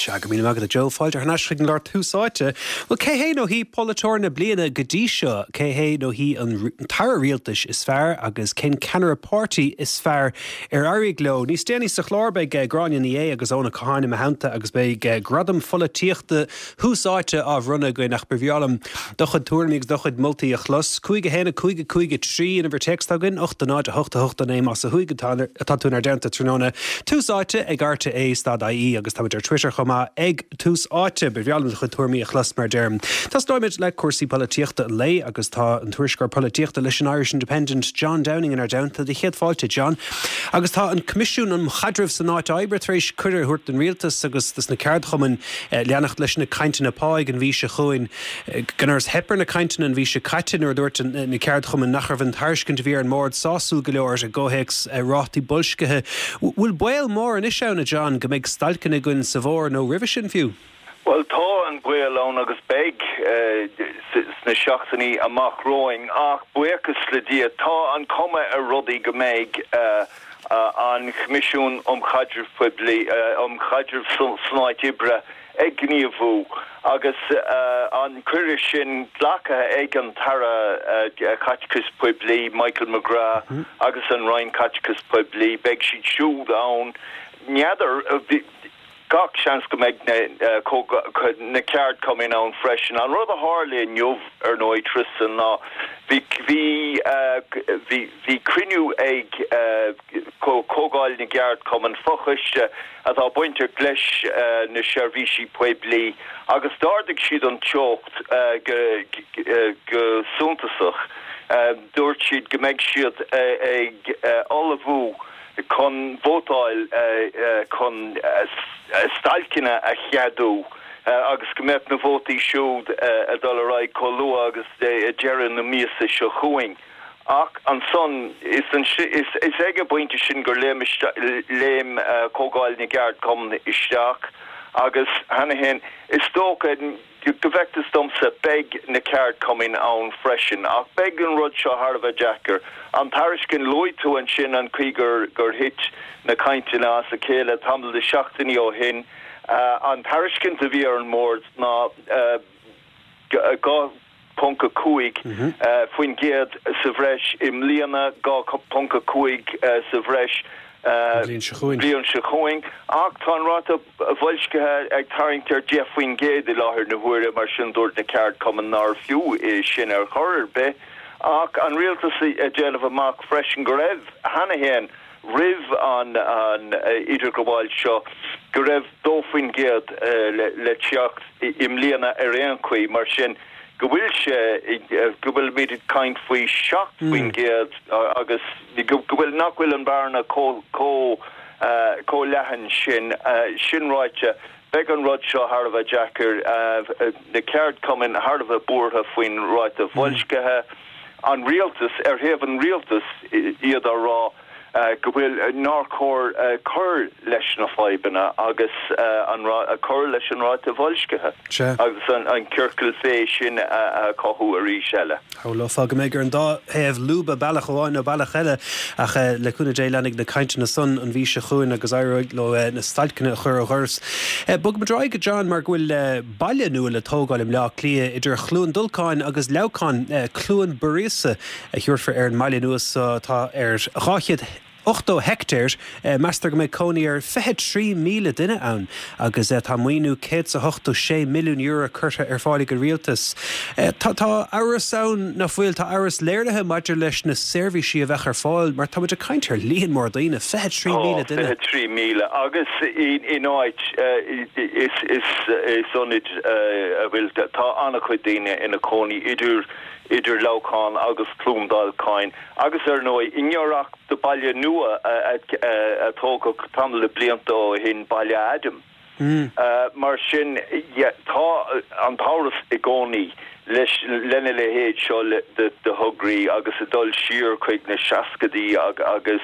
Sea, go míle maith agat a Joe. Fáilte thar n-ais chuig an gclár Tús Áite. Bhuel, cé hé nó hí polaiteoir na bliana go dtí seo? Cé hé nó hí an t-aire rialtais is fearr agus cén ceannaire páirtí is fearr ar éirigh leo? Níos déanaí sa chlár beidh Gráinne Ní Aodha agus Eoin Ó Catháin i mo theannta agus beidh Gradam Pholaitíochta Thús Áite á bhronnadh againn ach ba bhreá liom do chuid tuairimí agus do chuid moltaí a chlos. 5 1 5 5 3 an uimhir téacs atá againn, 8 0 8 8 9 más ó thuaidh atá tú inár dteannta tráthnóna. Tús Áite ag RTÉ stad IE agus táimid ar Twitter chomh maith ag Tús Áite. Ba bhreá liom do chuid tuairimí a chlos mar a deirim. Tosnóimid le cúrsaí polaitíochta an lae agus tá an tuairisceoir polaitíochta leis an Irish Independent, John Downing inár dteannta. Do chéad fáilte, John. Agus tá an Coimisiún um Chaidreamh san Áit Oibre tar éis cuireadh a thabhairt don Rialtas agus dos na ceardchumainn leanacht leis na cainteanna páigh an mhí seo chugainn. Gan amhras theip ar na cainteanna an mhí seo caite nuair a dúirt na ceardchumainn nach raibh an tairiscint a bhí ar an mbord sásúil go leor i gcomhthéacs rátaí boilscithe. Bhfuil baol mór anois ann, a John, go mbeidh stailceanna againn sa bhfómhar nó roimhe sin fiú? Bhuel, tá an baol ann agus beidh sna seachtainí amach romhainn ach buíochas le Dia tá an cuma ar rudaí go mbeidh an Coimisiún um Chaidreamh Poiblí, um Chaidreamh san Áit Oibre ag gníomhú agus an cuireadh sin glactha ag an tAire Caiteachais Poiblí, Michael McGrath agus an Roinn Caiteachais Poiblí. Beidh siad siúd ann. N'fheadar. Gach seans go mbeidh na ceardchumainn ann freisin. An rud a tharla inniu, ar ndóigh, Tristan, ná bhí bhí bhí cruinniú ag Comhdháil na gCeardchumann, fochoiste atá bainteach leis na seirbhísí poiblí, agus d'ardaigh siad an teocht go suntasach. Dúirt siad go mbeidh siad ag ullmhú chun vótáil chun stailceanna a cheadú agus go mbeadh na vótaí siúd ag dul ar aghaidh chomh luath agus deireadh na míosa seo chugainn. Ach ansan, is ag an bpointe sin gur léim léim Comhdháil na gCeardchumann isteach agus cheana féin, is dócha, Go bhfeictear domsa, beidh na ceardchumainn ann freisin, ach beidh an rud seo thar a bheith deacair. An tairiscint, luaigh tú ansin an chaoi gur gur thit na cainteanna as a chéile tamall de sheachtainí ó shin. An tairiscint a bhí ar an mbord ná 2.5% sa bhreis i mbliana, 2.5 sa bhreis an bhliain seo chugainn. bliain seo chugainn, ach tá an ráta boilscithe ag tarraingt ar 10% i láthair na huaire, mar sin dúirt na ceardchumainn nárbh fiú é sin ar chor ar bith. Ach an rialtas ag déanamh amach freisin go raibh, cheana féin, roimh an idirghabháil seo, go raibh 2% le teacht i mbliana ar aon chaoi, mar sin go bhfuil sé, go bhfuilimid ag caint faoi 7% agus. go bhfuil, nach bhfuil an bhearna chomh leathan sin. Sin ráite, beidh an rud seo thar a bheith deacair, na ceardchumainn thar a bheith buartha faoin ráta boilscithe, an rialtas, ar thaobh an rialtais, iad á rá go bhfuil, nár chóir cur leis na fadhbanna agus an, cur leis an ráta boilscithe agus an ciorcal fé sin a chothú arís eile. Shamhlófá go mbeidh ar an dá thaobh lúbadh bealach amháin nó bealach eile ach le cúnamh Dé leanfaidh na cainteanna san an mhí seo chugainn agus éireoidh leo na stailceanna a chur ó dhoras. Bogfaimid ar aghaidh, a John, mar go bhfuil baile nua le tógáil i mBleá Cliath idir Chluain Dolcáin agus Leamhcán. Cluain Buiríosa a thabharfar ar an mbaile nua so atá ar 200. 80 heictéar. Meastar go mbeidh cónaí ar 23,000 duine ann agus tá maoiniú €186 milliún curtha ar fáil ag an rialtas. Tá amhras ann, nach bhfuil? Tá amhras léirithe maidir leis na seirbhísí a bheadh ar fáil mar tá muid ag caint ar líon mór daoine, 23,000 duine. Tá, 23,000 agus in áit, is ionad a bhfuil, tá an-chuid daoine ina cónaí idir idir Leamhcán agus Cluain Dolcáin agus ar ndóigh i ngiorracht do baile nua a tógadh tamall de blianta ó shin, Baile Adaim. Mar sin, tá an t-amhras i gcónaí leis lena leithéid seo de thograí agus ag dul siar chuig na seascaidí agus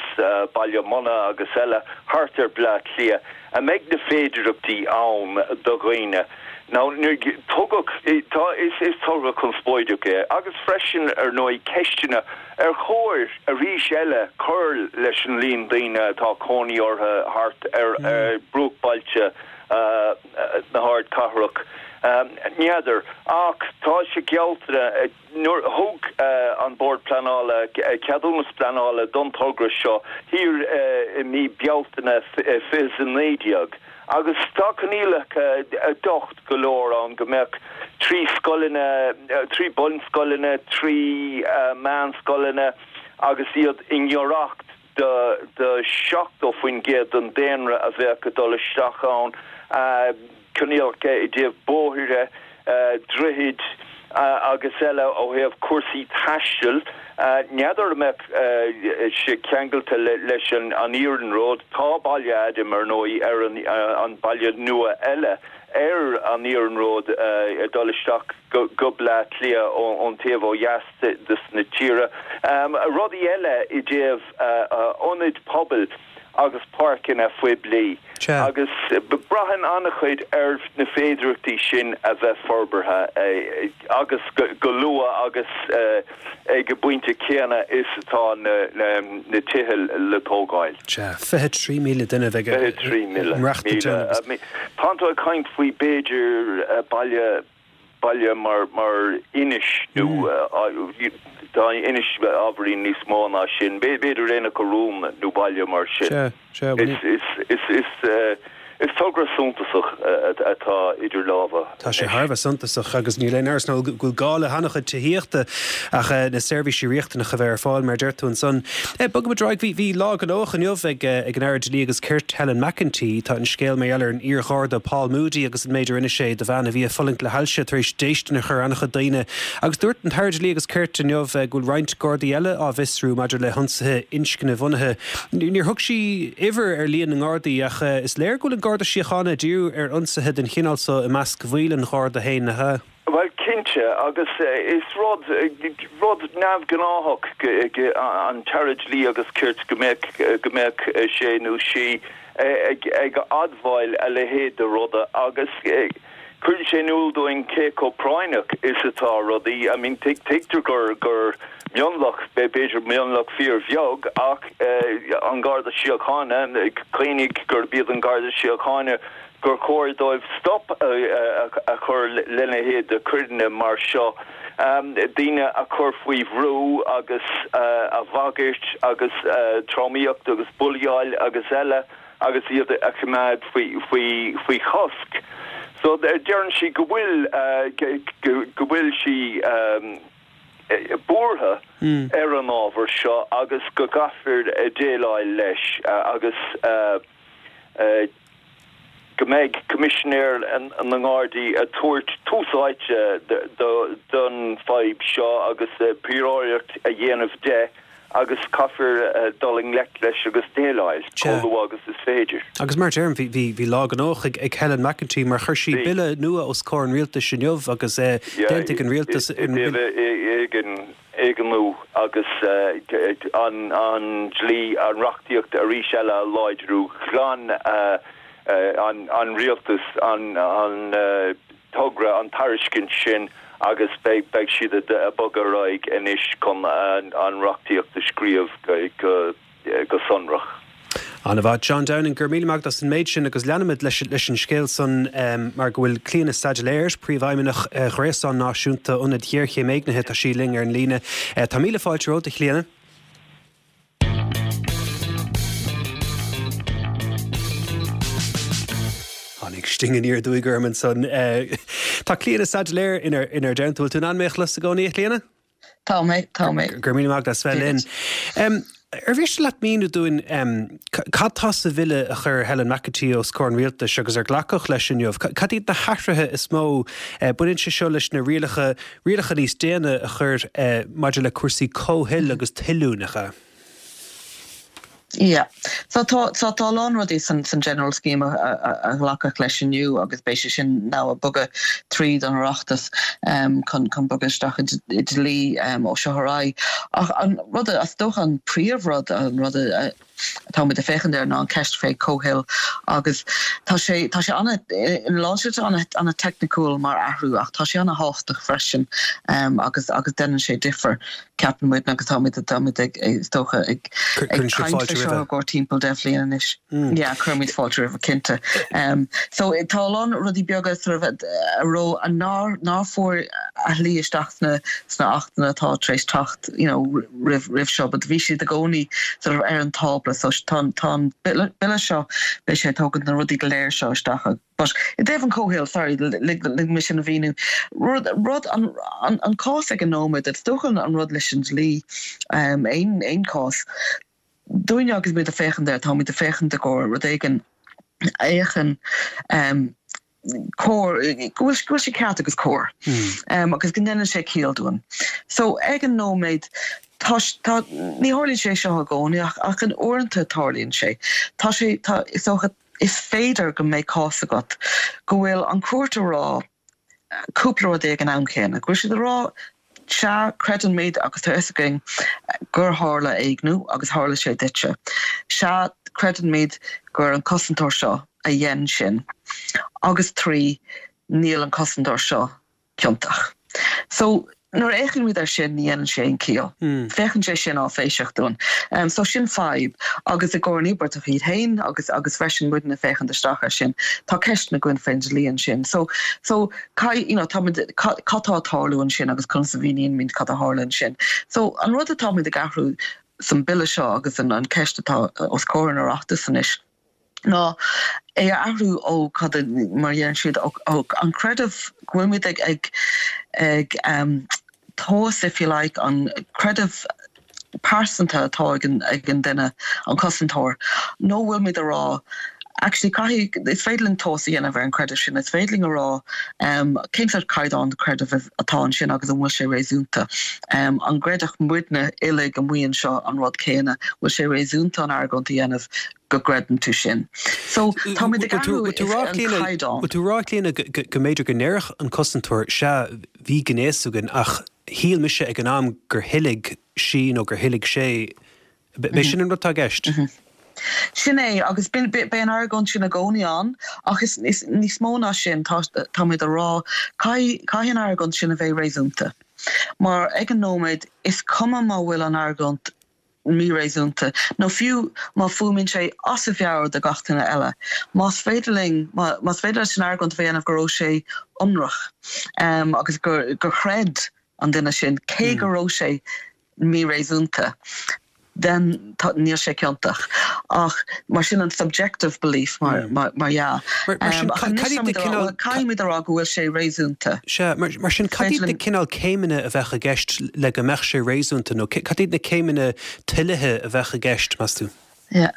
Baile Munna agus eile thart ar Bleá Cliath. An mbeidh na féidireachtaí ann do dhaoine? Now, tugadh, tá, is, is togra conspóideach é agus freisin, ar ndóigh, ceisteanna ar chóir arís eile cur leis an líon daoine atá cónaí orthu thart ar bruachbhailte. na hardchathrach. N'fheadar, ach tá sé geallta, nuair a thug an Bord Pleanála ceadúnas pleanála don togra seo thiar i mí Bealtaine 2019 agus tá coinníollacha docht go leor ann go mbeadh 3 scoileanna, 3 bunscoileanna, 3 meánscoileanna agus iad i ngiorracht do 70% den daonra a bheadh ag dul isteach ann, coinníollacha i dtaobh bóithre, droichid agus eile ó thaobh cúrsaí taistil. N'fheadar an mbeadh sé ceangailte leis an iarnród. Tá Baile Adaim, ar ndóigh, ar an baile nua eile ar an iarnród ag dul isteach go Bleá Cliath ón taobh ó dheas de na tíre. Rudaí eile i dtaobh ionaid pobail agus páirceanna phoiblí agus braitheann an-chuid ar na féidearthachtaí sin a bheith forbartha agus go luath agus ag an bpointe céanna is atá na tithe le tógáil. Sea, 23,000 duine a bheidh ag maireachtáil ann agus. Tánn tú ag caint faoi b'fhéidir baile baile mar mar Inis nó tá Inis ábhairín níos mó ná sin, b'fhéidir Aonach Urumhan nó baile mar sin. Sea, sea, bhuel. Is, is, is, is, is togra suntasach atá idir lámha Tá sé thar a bheith suntasach agus níl aon amhras ná go bhfuil gá le han-chuid tithíochta ach na seirbhísí riachtanacha a bheith ar fáil mar a deir tú ansan. Bogfaimid ar aghaidh. Bhí, bhí lá gnóthach inniu ag ag an Aire Dlí agus Cirt Helen McEntee. Tá an scéal mar gheall ar an iar-Gharda Paul Moody agus an méid a rinne sé do bhean a bhí ag fulaingt le hailse tar éis déistin a chur ar an-chuid daoine. Agus dúirt an tAire Dlí agus Cirt inniu go bhfuil roinnt Gardaí eile á bhfiosrú maidir le hionsaithe inscnebhunaithe. Níor thug sí uimhir ar líon na nGardaí ach is léir go bhfuil an Garda Síochána ag díriú ar ionsaithe den chineál so i measc bhaill an Gharda féin, nach ea? Bhuel, cinnte, agus is rud, rud neamhghnáthach an tAire Dlí agus Cirt go mbeadh, go mbeadh sé nó sí ag, ag admháil a leithéid de ruda agus cuireann sé in iúl dúinn cé chomh práinneach is atá rudaí. I mean, tuigtear gur, gur mionlach, b'fhéidir mionlach fíorbheag ach an Garda Síochána, cuimhnigh gurb iad an Garda Síochána gur chóir dóibh stop a chur lena leithéid de choireanna mar seo, daoine a chur faoi bhrú agus a bhagairt agus tromaíocht agus bulaíáil agus eile agus iad a choimeád faoi chosc. So deireann sí go bhfuil go bhfuil sí buartha ar an ábhar seo agus go gcaithfear déileáil leis agus go mbeidh Coimisinéir na nGardaí ag tabhairt tús áite don fadhb seo agus príoraíocht a dhéanamh de agus caithfear dul i ngleic leis agus déileáil chomh luath agus is féidir. Agus mar a deirim, bhí lá gnóthach ag Helen McEntee mar chuir sí bille nua os comhair an rialtais inniu agus d'aontaigh an rialtas an éigniú agus an dlí, an reachtaíocht arís eile a láidriú. Ghlan an rialtas an togra, an tairiscint sin agus beidh siad ag bogadh ar aghaidh anois chun an reachtaíocht a scríobh go. go sonrach. An-mhaith. John Downing, go raibh míle maith agat as an méid sin agus leanfaimid leis leis an scéal san mar go bhfuil Clíona Saidléar, Príomhfheidhmeannach Ghréasán Náisiúnta Ionad Ghéarchéim Éignithe, tá sí linn ar an líne. Tá míle fáilte romhat, a Chlíona. Tháinig sting aniar aduaidh orm ansan. Tá Clíona Saidléar inár dteannta. Bhfuil tú in ann mé a chlos i gcónaí, a Chlíona? Tá mé, tá mé. Go raibh míle maith agat as bheith linn. Ar mhiste leat míniú dúinn cad tá sa bhille a chuir Helen McEntee os comhair an Rialtais agus ar glacadh leis inniu? Cad iad na hathruithe is mó? Baineann sé seo leis na rialacha, rialacha níos déine a chur maidir le cúrsaí comhthoil agus toiliú, nach ea? Yeah. So tá so tá a lán rudaí san san General Scheme a a a ghlacadh leis inniu agus beidh sé sin now ag bogadh tríd an Oireachtas um chun chun bogadh isteach i i dlí um ó seo ar aghaidh. Ach an rud a is dócha an príomhrud an rud a a. atáimid ag féachaint air ná an ceist fé comhthoil agus tá sé, tá sé ana, ina lán slite ana, ana teicniciúil mar athrú ach tá sé ana thábhachtach freisin agus, agus déanann sé difear, ceapann muid agus táimid, táimid ag, is dócha, ag, ag caint fé seo i gcomhair timpeall 10 bhliain anois. Yeah, cuirimid fáilte roimhe, cinnte. So tá a lán rudaí beaga sort of a raibh, a nár, nár fuair a shlí isteach sna, sna achtanna atá tar éis teacht, you know, roimh, roimh seo, but bhí siad i gcónaí sort of ar an tábla. So tá, tá an bille, bille seo, beidh sé ag tógaint na rudaí go léir seo isteach. But i dtaobh an comhthoil, sorry, lig, lig mé sin a mhíniú. Rud, rud, an, an, an cás ag an nóiméad, is dócha an rud leis an dlí, um, aon, aon cás, dúinne agus muid ag féachaint air, táimid ag féachaint i gcomhair rud éigin a fhéachann cóir, go bhfuil, go bhfuil sé ceart agus cóir agus go ndéanann sé ciall dúinn. So ag an nóiméad, tá, tá, ní tharlaíonn sé seo i gcónaí ach, ach in uaireanta tarlaíonn sé. Tá sé, tá, is dócha, is féidir go mbeidh cás agat go bhfuil an chúirt a rá, cúpla rud ag an am chéanna, go bhfuil siad ag rá, sea, creideann muid agus tá a fhios againn gur tharla éigniú agus tharla sé duitse. Sea, creideann muid gur an cosantóir seo a dhein sin. Agus 3, níl an cosantóir seo ciontach. So, nuair a fhéachann muid air sin, ní dhéanann sé aon chiall. Féachann sé sin áiféiseach dúinn. So sin fadhb. Agus i gcomhair an íobartach iad féin agus agus freisin muidne ag féachaint isteach air sin, tá ceisteanna againn faoin dlí ansin. So, so cad, you know, táimid, cad tá ag tarlú ansin agus conas a mhíníonn muid cad a tharla ansin. So an rud atáimid ag athrú san bille seo agus an an ceist atá os comhair an Oireachtais anois, ná é a athrú ó cad a, mar a deireann siad, ó an creideamh go bhfuil muid ag ag ag tomhas, if you like, an creideamh pearsanta atá ag an ag an duine, an cosantóir, nó bhfuil muid a rá actually caithfidh, is féidir linn tomhas a dhéanamh ar an creideamh sin, is féidir linn a rá cén sórt caighdeán creidimh atá ansin agus an bhfuil sé réasúnta. An gcreidfeadh muidne uilig amuigh anseo an rud céanna? Bhfuil sé réasúnta an argóint a dhéanamh go gcreideann tú sin. So, táimid ag athrú an caighdeán. Bhfuil tú ag rá, Clíona, go mb'fhéidir go ndéarfadh an cosantóir, sea, bhí gnéas againn ach shíl mise ag an am gur thoiligh sí nó gur thoiligh sé. B'é sin an rud atá i gceist? Sin é, agus beidh an argóint sin i gcónaí ann, ach is níos mó ná sin, táimid ag rá, caithfidh an argóint sin a bheith réasúnta. Mar ag an nóiméad, is cuma má bhfuil an argóint míréasúnta, nó fiú má fuaimíonn sé as a mheabhair do gach duine eile. Más féidir linn, más féidir leis an argóint a dhéanamh go raibh sé ionraic agus gur gur chreid an duine sin, cé go raibh sé míréasúnta, then níl sé ciontach. Ach mar sin an subjective belief mar mar dhea. Mar sin, Ach anois cad iad na táimid a rá, cineál, bhuel, caithfimid a rá go bhfuil sé réasúnta. Sea, mar, mar sin, cad iad na cineál céimeanna a bheadh i gceist le go mbeadh sé réasúnta, nó cad iad na céimeanna toilithe a bheadh i gceist, meas tú? Yeah.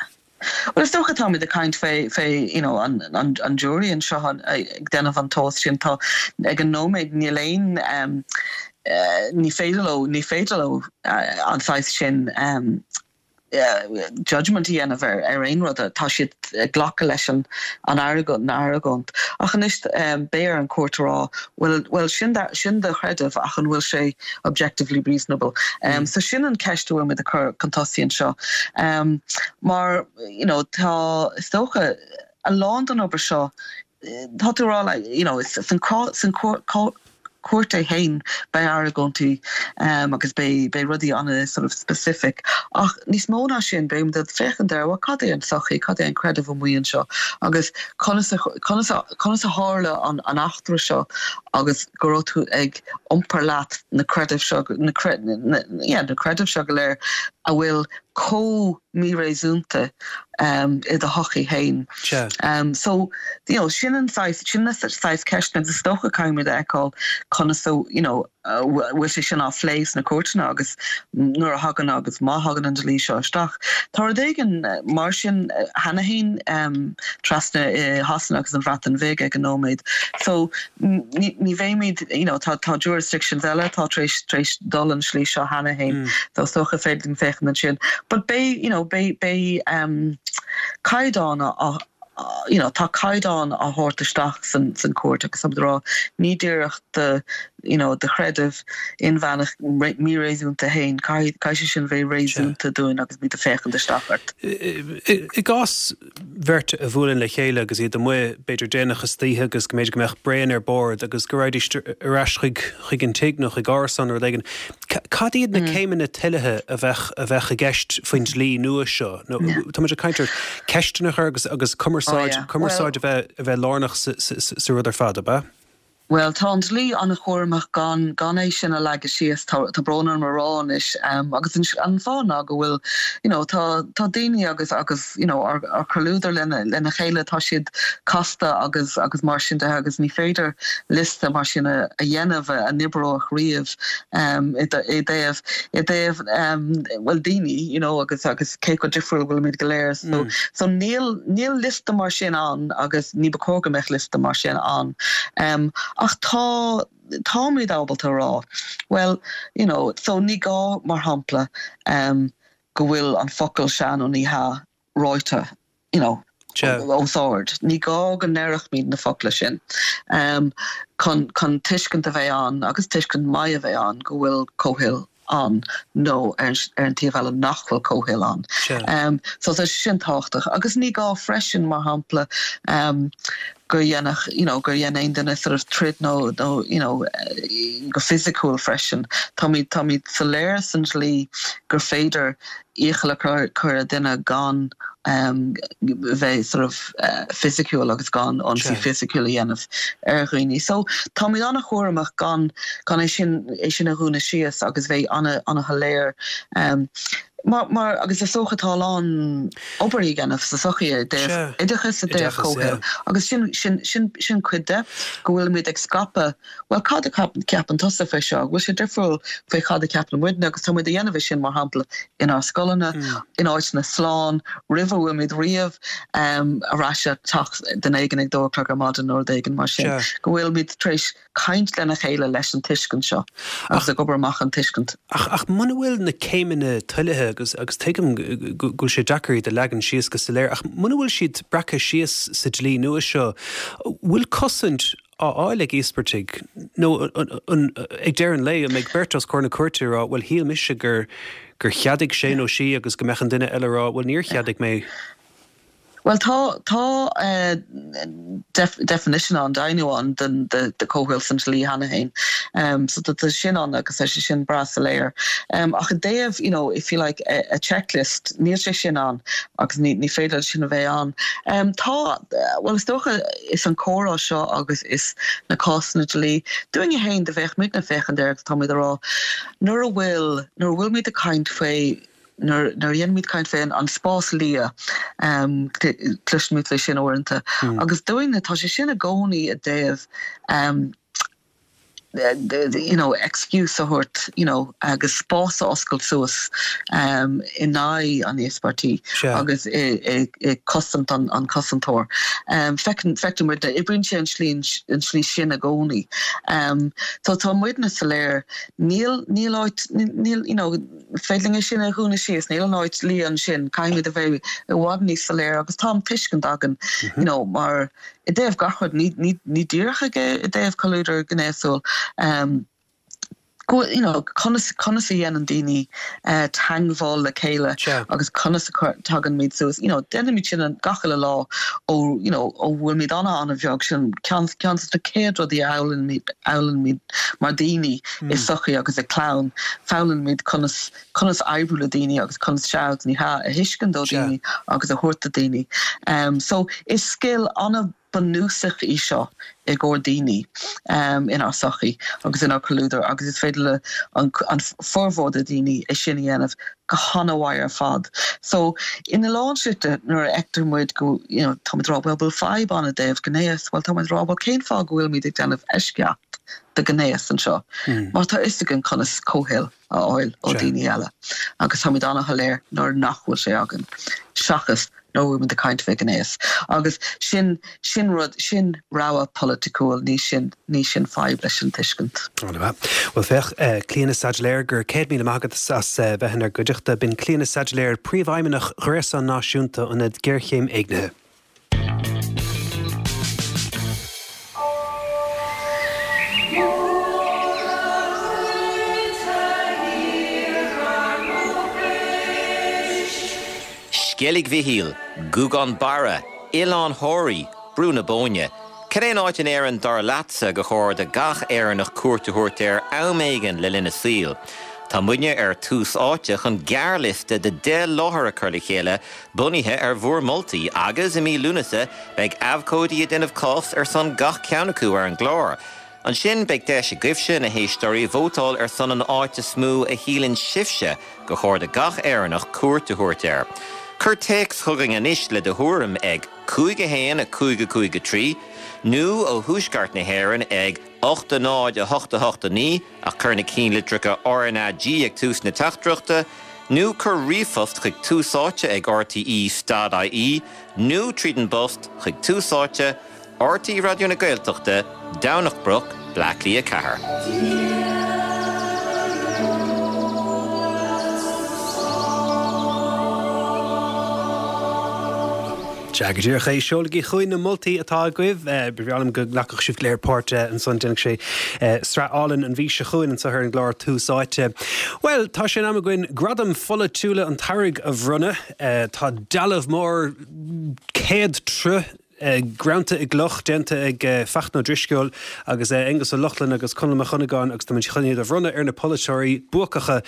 Bhuel, is dócha táimid ag caint fé, fé, you know, an, an, an jury anseo ag déanamh an tomhas sin. Tá, ag an nóiméad, níl aon, um, eh, ní féidir leo, ní féidir leo an saghas sin, um, judgment a dhéanamh ar aon rud, tá siad ag glacadh leis an an argóint. Ach anois beidh ar an chúirt a rá bhuel bhuel sin sin do chreideamh ach an bhfuil sé objectively reasonable? So sin an ceist a bhfuil muid ag cur chun tosaigh anseo. Mar you know tá is dócha a lán den obair seo Tá tú a rá like you know san san cúirt é féin beidh argóintí agus beidh beidh rudaí ana sort of specific ach níos mó ná sin beidh muid ag féachaint ar bhuel cad é an tsochaí, cad é an creideamh amuigh anseo agus conas a conas a conas a tharla an an eachtra seo agus go raibh tú ag iompar leat na creidimh seo na na yeah na creidimh seo go léir a bhfuil chomh míréasúnta i do shochaí féin. So, you know, sin an saghas, sin na saghas ceisteanna agus is dócha caithfimid a fheiceáil conas a, you know, bhfuil sé sin á phlé sna cúirteanna agus nuair a thagann agus má thagann an dlí seo isteach. Tá rud éigin mar sin cheana féin trasna i Shasana agus an Bhreatain Bhig ag an nóiméad. So, ní bheimid, you know, tá tá jurisdictions eile atá tar éis tar éis dul an slí seo cheana féin. So is dócha féidir linn féachaint ansin. But beidh, you know, beidh beidh um, caighdeán á. you know, tá caighdeán á thabhairt isteach san san cúirt agus táimid ag rá ní díreach do you know, do chreideamh inmheánach míréasúnta féin, caithfidh caithfidh sé sin bheith réasúnta dúinn agus muid ag féachaint isteach ort. I gcás bheirt a bhuaileann le chéile agus iad amuigh, b'fhéidir déanach istoíche agus go mb'fhéidir go mbeadh braon ar bord agus go raghaidís ar ais chuig chuig an tigh nó chuig árasán nó rud éigin. Cad iad na céimeanna toilithe a bheadh a bheadh i gceist faoin dlí nua seo? Nó tá muid ag caint ar ceisteanna a chur agus agus cumarsáid cumarsáid a bheith a bheith lárnach sa sa rud ar fad, ab ea? Bhuel, tá an dlí an-chúramach gan gan é sin a leagadh síos, tá tá brón orm a rá anois, agus an an fáth ná go bhfuil, you know, tá tá daoine agus agus, you know, ár ár comhluadar lena lena chéile, tá siad casta agus agus mar sin de agus ní féidir liosta mar sin a a dhéanamh a n-oibreodh riamh i i dtaobh i dtaobh bhuel daoine, you know, agus agus cé chomh difriúil a bhfuilimid go léir. So so níl níl liosta mar sin ann agus ní ba chóir go mbeadh liosta mar sin ann. Ach tá, táimid ábalta a rá, bhuel, you know, so ní gá, mar shampla, go bhfuil an focal sea nó ní hea ráite, you know, os ard. Ní gá go ndéarfaimid na focla sin chun, chun tuiscint a bheith ann agus tuiscint maith a bheith ann go bhfuil comhthoil ann nó ar an taobh eile nach bhfuil comhthoil ann. So tá sé sin tábhachtach. Agus ní gá freisin, mar shampla, gur dhéanfadh, you know, gur dhein aon duine sort of troid nó, nó, you know, go fisiciúil freisin. Táimid, táimid soiléir san dlí gur féidir iachall a chur ar dhuine gan bheith sort of fisiciúil agus gan ionsaí fisiciúil a dhéanamh ar dhaoine. So táimid an-chúramach gan gan é sin é sin a dhúnadh síos agus bheith an-an-shoiléir mar mar agus is dócha tá a lán obair a dhéanamh sa sochaí i dtaobh oideachais i dtaobh comhthoil agus sin sin sin sin cuid de go bhfuilimid ag scaipeadh Bhuel, cad a cheapann tusa faoi seo? An bhfuil sé difriúil faoi cad a cheapann muidne? Agus tá muid a dhéanamh é sin, mar shampla, inár scoileanna, in áiteanna slán, roimh a bhfuilimid riamh ar ais ag teach duine éigin ag dó a chlog ar maidin nó rud éigin mar sin. Go bhfuilimid tar éis caint lena chéile leis an tuiscint seo agus ag obair amach an tuiscint. Ach, ach muna bhfuil na céimeanna toilithe, agus, agus tuigim go bhfuil sé deacair iad a leagan síos go soiléir, ach muna bhfuil siad breactha síos sa dlí nua seo, bhfuil cosaint á fháil ag íospartaigh, nó an, ag deireadh an lae, an mbeidh beirt os comhair na cúirte ag rá, bhuel, shíl mise gur, gur cheadaigh sé nó sí agus go mbeadh an duine eile ag rá, bhuel, níor cheadaigh mé. Bhuel, tá, tá definition ann, deimhniú ann den, de, de comhthoil san dlí cheana féin. So tá, tá sin ann agus tá sé sin breá soiléir. Ach i dtaobh, you know, if you like, a, a checklist, níl sé sin ann agus ní, ní féidir leis sin a bheith ann. Tá, bhuel, is dócha, is an comhrá seo agus is na cásanna dlí, dúinne féin, do bheadh muidne ag féachaint air agus táimid ag rá, nuair a bhfuil, nuair a bhfuilimid ag caint faoi, nuair, nuair a dhéanaimid caint faoi an spás liath, cloisimid faoi sin uaireanta, agus dúinne, tá sé sin i gcónaí i dtaobh, you know, excuse a thabhairt, you know, agus spás a oscailt suas in aghaidh an íospartaigh agus i cosaint an cosantóir. Feiceann, feictear muidne, oibríonn sé an slí, an slí sin i gcónaí. So tá muidne soiléir, níl, níl áit, níl, you know, féidir linn é sin a dhúnadh síos, níl an áit liath ansin, caithfimid a bheith i bhfad níos soiléire agus tá an tuiscint againn, you know, mar I dtaobh gach rud, ní díreach i dtaobh comhluadar gnéasúil, go you know conas conas a dhéanann daoine teagmháil le chéile agus conas a tagann suas, you know déanaimid sin gach uile lá ó you know ó bhfuilimid an-an-bheag, sin ceann ceann de na chéad rudaí a fhoghlaimímid mar daoine i sochaí agus i clann, foghlaimímid conas conas oibriú le daoine agus conas sea agus ní hea a thuiscint ó daoine agus a thabhairt do daoine. So is scil an-bhunúsach í seo i gcomhair daoine inár sochaí agus inár comhluadar agus is féidir le an formhór de daoine é sin a dhéanamh go han-mhaith ar fad. So ina lán slite nuair a fheictear muid go you know táimid ag rá bhuel bhfuil fadhb ann i dtaobh gnéas, bhuel táimid ag rá bhuel cén fáth go bhfuilimid ag déanamh eisceacht do ghnéas anseo mar tá fhios againn conas comhthoil a fháil ó daoine eile agus táimid an-shoiléir nuair nach bhfuil sé againn, seachas nuair a bhfuilimid ag caint fé ghnéas. Agus sin, sin rud, sin rogha polaiticiúil, ní sin, ní sin fadhb leis an tuiscint. An-mhaith. Bhuel féach, Clíona Saidléir, go raibh 100,000 maith agat as bheith inár gcuideachta. B'in Clíona Saidléir, Príomhfheidhmeannach Ghréasán Náisiúnta Ionad Géarchéim Éignithe. Sceilg Mhichíl, Gougane Barra, Oileán Thoraí, Brú na Bóinne. Cad é an áit in Éirinn dar leatsa gur chóir do gach Éireannach cuairt a thabhairt air am éigin le linn a saoil? Tá muidne ar Tús Áite chun gearrliosta de 10 láthair a chur le chéile bunaithe ar bhur moltaí agus i mí Lúnasa beidh abhcóidí ag déanamh cás ar son gach ceann acu ar an gclár. Ansin beidh deis agaibhse, na héisteoirí, vótáil ar son an áit is mó a shíleann sibhse gur chóir do gach Éireannach cuairt a thabhairt air. Cuir téacs chugainn anois le do thuairim ag 5 1 5 5 3 nó ó thuaisceart na hÉireann ag 8 0 8 8 9 ach cuir na cinnlitreacha RnaG ag tús na teachtaireachta, nó cuir ríomhphost chuig Tús Áite ag rte.ie nó tríd an bpost chuig Tús Áite, RTÉ Raidió na Gaeltachta, Domhnach Broc, Bleá Cliath 4. Sea, go díreach é. Seolaigí chugainn na moltaí atá agaibh. Ba bhreá liom go nglacfadh sibh go léir páirt ansan. Déanfaidh sé sraith álainn an mhí seo chugainn anseo ar an gclár Tús Áite. Bhuel, tá sé in am againn Gradaim Pholaitiúla an tSamhraidh a bhronnadh. Tá dealbh mór 100 troigh greanta i gcloch, déanta ag Fachtna Ó Drisceoil agus Aengus Ó Lochlainn agus Conall Mac Dhonnagáin agus táimid chun iad a bhronnadh ar na polaiteoirí buacacha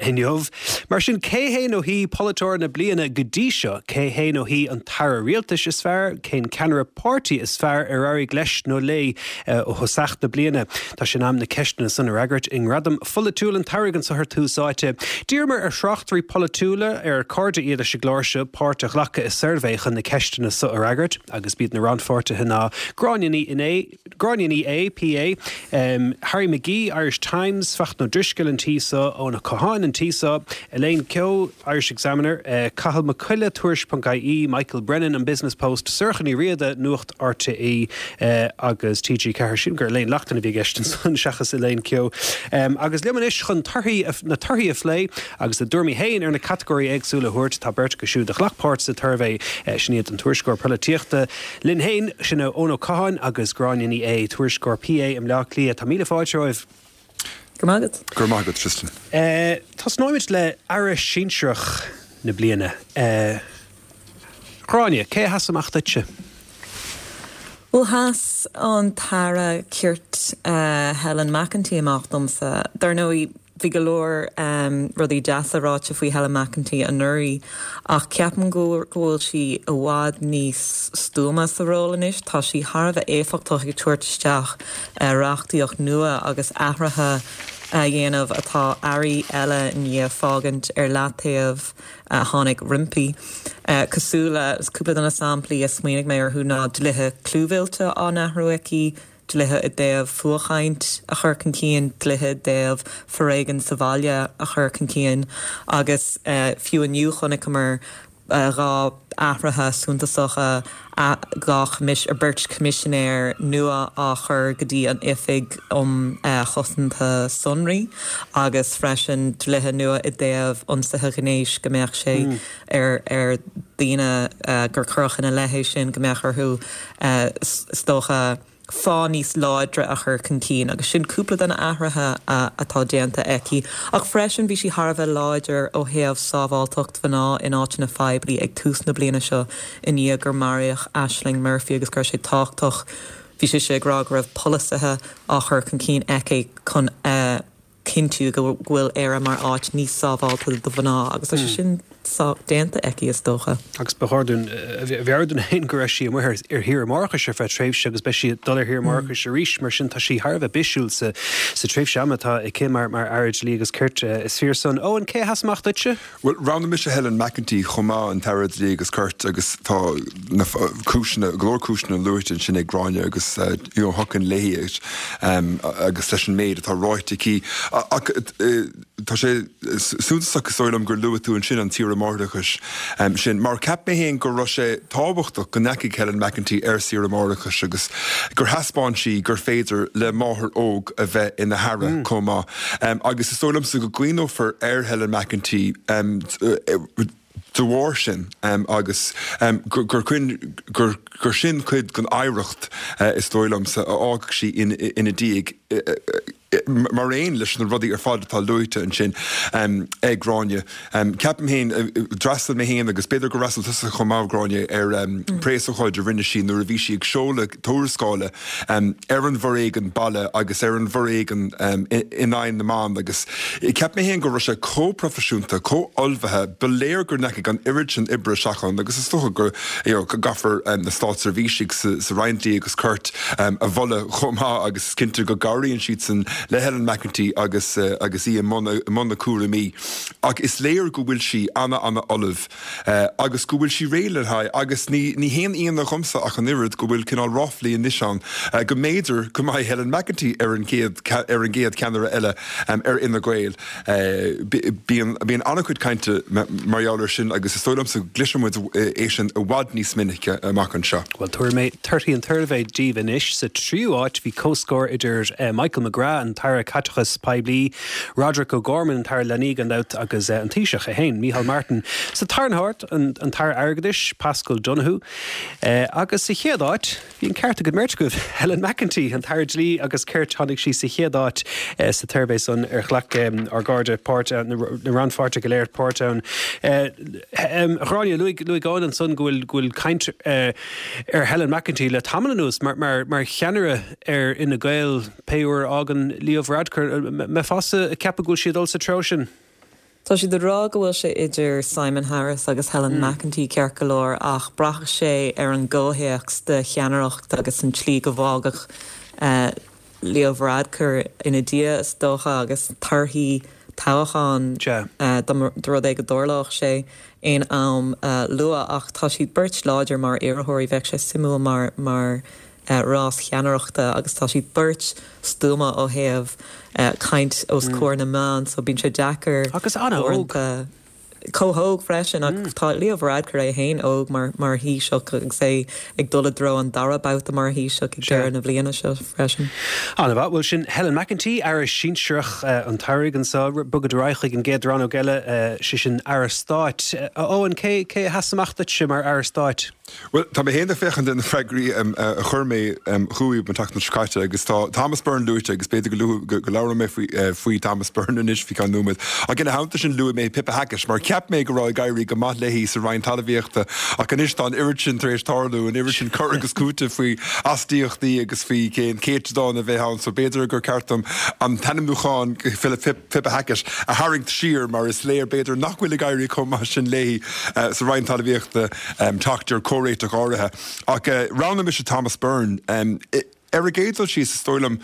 inniu. Mar sin, cé hé nó hí polaiteoir na bliana go dtí seo? Cé hé nó hí an t-aire rialtais is fearr? Cén ceannaire páirtí is fearr ar éirigh leis nó léi ó thosach na bliana? Tá sé in am na ceisteanna san a fhreagairt i nGradaim Pholaitiúil an tSamhraidh anseo ar Tús Áite. D'iarramar ar thráchtairí polaitiúla, ar cairde iad leis an gclár seo, páirt a ghlacadh i suirbhé chun na ceisteanna so a fhreagairt agus b'iad na rannpháirtithe ná Gráinne Ní Gráinne Ní Aodha, PA, Harry McGee, Irish Times, Fachtna Ó Drisceoil an tí so, Eoin Ó Catháin an tí so, Elaine Keogh, Irish Examiner, Cathal Mac Coille, Tuairisc.ie, Michael Brennan, An Business Post, Sorcha Ní Riada, Nuacht RTÉ agus TG4. Sílim gur Elaine Loughlin a bhí i gceist ansan seachas Elaine Keogh. Agus liom anois chun torthaí na torthaí a phlé agus a dtuairimí féin ar na catagóirí éagsúla a thabhairt, tá beirt acu siúd a ghlac páirt sa tsuirbhé. Sin iad an tuairisceoir polaitíochta linn féin, sin é Eoin Ó Catháin agus Gráinne Ní Aodha, tuairisceoir PA i mBleá Cliath. Tá míle fáilte romhaibh. Go raibh maith agat. Go raibh maith agat, Tristan. Tosnóimid le Aire Sinsearach na bliana. Gráinne, cé a sheas amach duitse? Bhuel, sheas an tAire Cirt Helen McEntee amach domsa. Dar ndóigh, bhí go leor rudaí deasa ráite faoi Helen McEntee anuraidh ach ceapaim go bhfuil sí i bhfad níos stuama sa ról anois. Tá sí thar a bheith éifeachtach ag tabhairt isteach reachtaíocht nua agus athruithe a dhéanamh atá airí eile i ndiaidh fágaint ar leataobh a tháinig roimpi. Cosúil le, cúpla de na samplaí a smaoinigh mé orthu ná dlíthe clúmhillte á n-athrú aici, dlíthe i dtaobh fuathchaint a chur chun cinn, dlíthe i dtaobh foréigean sa bhaile a chur chun cinn agus fiú inniu chonaiceamar 2 athruithe suntasacha, 2 choimis, beirt choimisinéir nua á chur go dtí an Oifig um Chosanta Sonraí agus freisin dlíthe nua i dtaobh ionsaithe gnéis go mbeadh sé ar ar daoine gur cuireadh ina leith é sin go mbeadh orthu is dócha fáth níos láidre a chur chun cinn agus sin cúpla de na athruithe atá déanta aici. Ach freisin bhí sí thar a bheith láidir ó thaobh sábháilteacht mhná in áiteanna poiblí ag tús na bliana seo i ndiaidh gur maraíodh Ashling Murphy agus go raibh sé tábhachtach, bhí sise ag rá go raibh polasaithe á chur chun cinn aici chun a chinntiú go bhfuil Éire mar áit níos sábháilte do mhná agus tá sé sin sách déanta aici, is dócha. Agus ba chóir dúinn a mheabhrú dúinn féin go raibh sí amuigh ar shaoire máithreachais ar feadh tréimhse agus beidh sí ag dul ar shaoire máithreachais arís, mar sin tá sí thar a bheith bisiúil sa tréimhse ama atá aici mar Aire Dlí agus Cirt. Is fíor san. Eoin, cé a sheas amach duitse? Bhuel, roghnaigh mise Helen McEntee chomh maith, an tAire Dlí agus Cirt, agus tá na cúiseanna, go leor cúiseanna luaite ansin ag Gráinne agus you know thiocfainn léi agus leis an méid atá ráite aici. Ach tá sé suntasach is dóigh liom gur luaigh tú ansin an tsaoire máithreachais sin, mar cheap mé féin go raibh sé tábhachtach go ndeachaigh Helen McEntee ar saoire máithreachais agus gur thaispeáin sí gur féidir le máthair óg a bheith ina haire chomh maith. Agus is dóigh liomsa go gcuimhneofar ar Helen McEntee de bharr sin agus gur sin cuid den oidhreacht, is dóigh liomsa, a fhágfaidh sí ina diaidh. Mar aon leis na rudaí ar fad atá luaite ansin ag Gráinne, ceapaim féin, d'fhreastail mé féin agus b'fhéidir gur fhreastail tusa chomh maith, Gráinne, ar preasócáid a rinne sí nuair a bhí sí ag seoladh tuarascála ar an bhforéigean baile agus ar an bhforéigean in aghaidh na mban agus cheap mé féin go raibh sé chomh proifisiúnta, chomh ullmhaithe, ba léir go ndeachaigh an oiread sin oibre isteach ann agus is dócha go gcaithfear na státseirbhísigh sa Roinn Dlí agus Cirt a mholadh chomh maith agus is cinnte go gcabhraíonn siadsan le Helen McEntee agus agus í i mbun a cúraimí. Ach is léir go bhfuil sí ana ana ullamh agus go bhfuil sí réidh le haghaidh agus ní ní haon ionadh dhomsa ach an oiread go bhfuil cineál ráflaí anois ann go mb'fhéidir go mbeidh Helen McEntee ar an gcéad ar an gcéad cheannaire eile ar Fhine Gael. Bíonn bíonn an-chuid cainte mar gheall air sin agus is dóigh liomsa go gcloisfidh muid é sin i bhfad níos minice amach anseo. Bhuel, tabharfaidh mé torthaí an tsuirbhé daoibh anois. Sa tríú háit, bhí comhscór idir Michael McGrath, an tAire Caiteachais Poiblí, Roderic O'Gorman, an tAire Leanaí gan dabht, agus an Taoiseach é féin, Micheál Martin. Sa tarna háit, an tAire Airgeadais, Paschal Donohoe. Agus sa chéad áit, Bhí an ceart ag an mbeirt agaibh. Helen McEntee, an tAire Dlí agus Cirt, tháinig sí sa chéad áit sa tsuirbhé san ar ghlac ár gcairde páirt ann, na rannpháirtithe go léir páirt ann. A Ghráinne, luaigh Eoin ansan go bhfuil go bhfuil caint ar Helen McEntee le tamall anuas mar mar mar cheannaire ar Fhine Gael pé uair a fhágann Leo Varadkar. Mbeifeása ag ceapadh go bhfuil sí ag dul sa treo sin? Tá siad ag rá go bhfuil sé idir Simon Harris agus Helen McEntee ceart go leor ach braithfidh sé ar an gcomhthéacs de cheannaireacht agus an tslí go bhfágfadh Leo Varadkar ina diaidh is dócha agus torthaí toghcháin dá mba rud é go dtarlódh sé aon am luath ach tá siad beirt láidir mar iarrthóirí. Bheadh sé suimiúil mar mar rás cheannaireachta agus tá siad beirt stuama ó thaobh caint os comhair na meán so bíonn sé deacair Agus an-óg. Chomh hóg freisin ach tá Leo Varadkar é féin óg mar mar Thaoiseach agus é ag dul i dtreo an dara babhta mar Thaoiseach ag deireadh na bliana seo freisin. An-mhaith. Bhuel sin Helen McEntee, Aire Sinsearach an tsamhraidh anseo. Bogfaimid ar aghaidh chuig an gcéad rannóg eile, sé sin Aire Stáit. A Eoin, cé cé a sheas amach duitse mar Aire Stáit? Bhuel, tá mé féin ag féachaint ar na freagraí a chuir mé chugaibh an tseachtain seo caite agus tá Thomas Byrne luaite agus b'fhéidir go go labhróidh mé faoi faoi Thomas Byrne anois faoi cheann nóiméad. Ach ina theannta sin luaigh mé Pippa Hackett mar cheap mé go raibh ag éirí go maith léi sa Roinn Talmhaíochta ach anois tá an oiread sin tar éis tarlú, an oiread sin cur agus cúiteamh faoi astaíochtaí agus faoi cén céatadán a bheidh ann so b'fhéidir gur ceart dom an t-ainmniúchán Pippa Hackett a tharraingt siar mar is léir b'fhéidir nach bhfuil ag éirí chomh maith sin léi sa Roinn Talmhaíochta teacht ar chomhréiteach áirithe. Ach roghnaigh mise Thomas Byrne. Ar an gcéad dul síos, is dóigh liom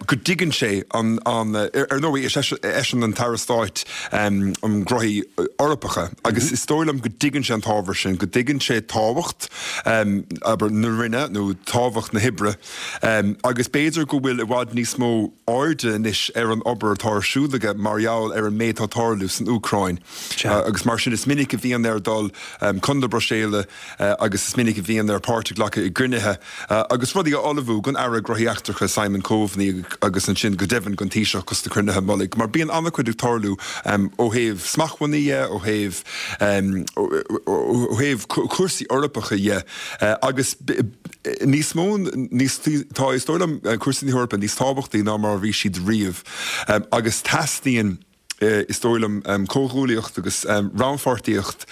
go dtuigeann sé an, ar ndóigh is eisean an tAire Stáit um Ghnóthaí Eorpacha agus is dóigh liom go dtuigeann sé an t-ábhar sin, go dtuigeann sé tábhacht, abair, na Roinne nó tábhacht na hoibre agus b'fhéidir go bhfuil i bhfad níos mó airde anois ar an obair atá ar siúl aige mar gheall ar an méid atá ag tarlú san Úcráin. Agus mar sin is minic a bhíonn air dul chun na Bruiséile agus is minic a bhíonn air páirt a ghlacadh i gcruinnithe agus rudaí a ullmhú don Aire Gnóthaí Eachtracha Simon Coveney agus ansin go deimhin don Taoiseach dos na cruinnithe mullaigh. Mar bíonn an-chuid ag tarlú ó thaobh smachtbhannaí dhe, ó thaobh ó thaobh cúrsaí Eorpacha dhe agus níos mó níos tá is dóigh liom cúrsaí na hEorpa níos tábhachtaí ná mar a bhí siad riamh agus teastaíonn is dóigh liom, comhghuaillíocht agus rannpháirtíocht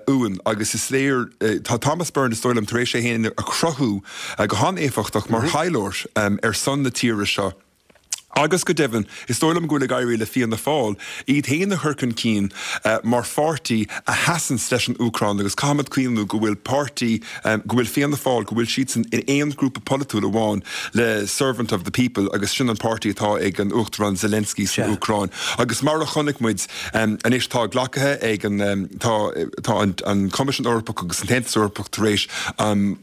uainn agus is léir, tá Thomas Byrne, is dóigh liom, tar éis é féin a chruthú go han-éifeachtach mar thaidhleoir ar son na tíre seo agus go deimhin, is dóigh liom go bhfuil ag éirí le Fianna Fáil iad féin a chur chun cinn mar pháirtí a sheasanns leis an Úcráin agus caithfimid cuimhniú go bhfuil páirtí, go bhfuil Fianna Fáil, go bhfuil siadsan in aon ghrúpa polaitiúil amháin le Servant of the People agus sin an páirtí atá ag an Uachtarán Zelensky san Úcráin. Agus mar a chonaic muid anois tá glactha ag an, tá, tá an Coimisiún Eorpach agus an tAontas Eorpach tar éis an,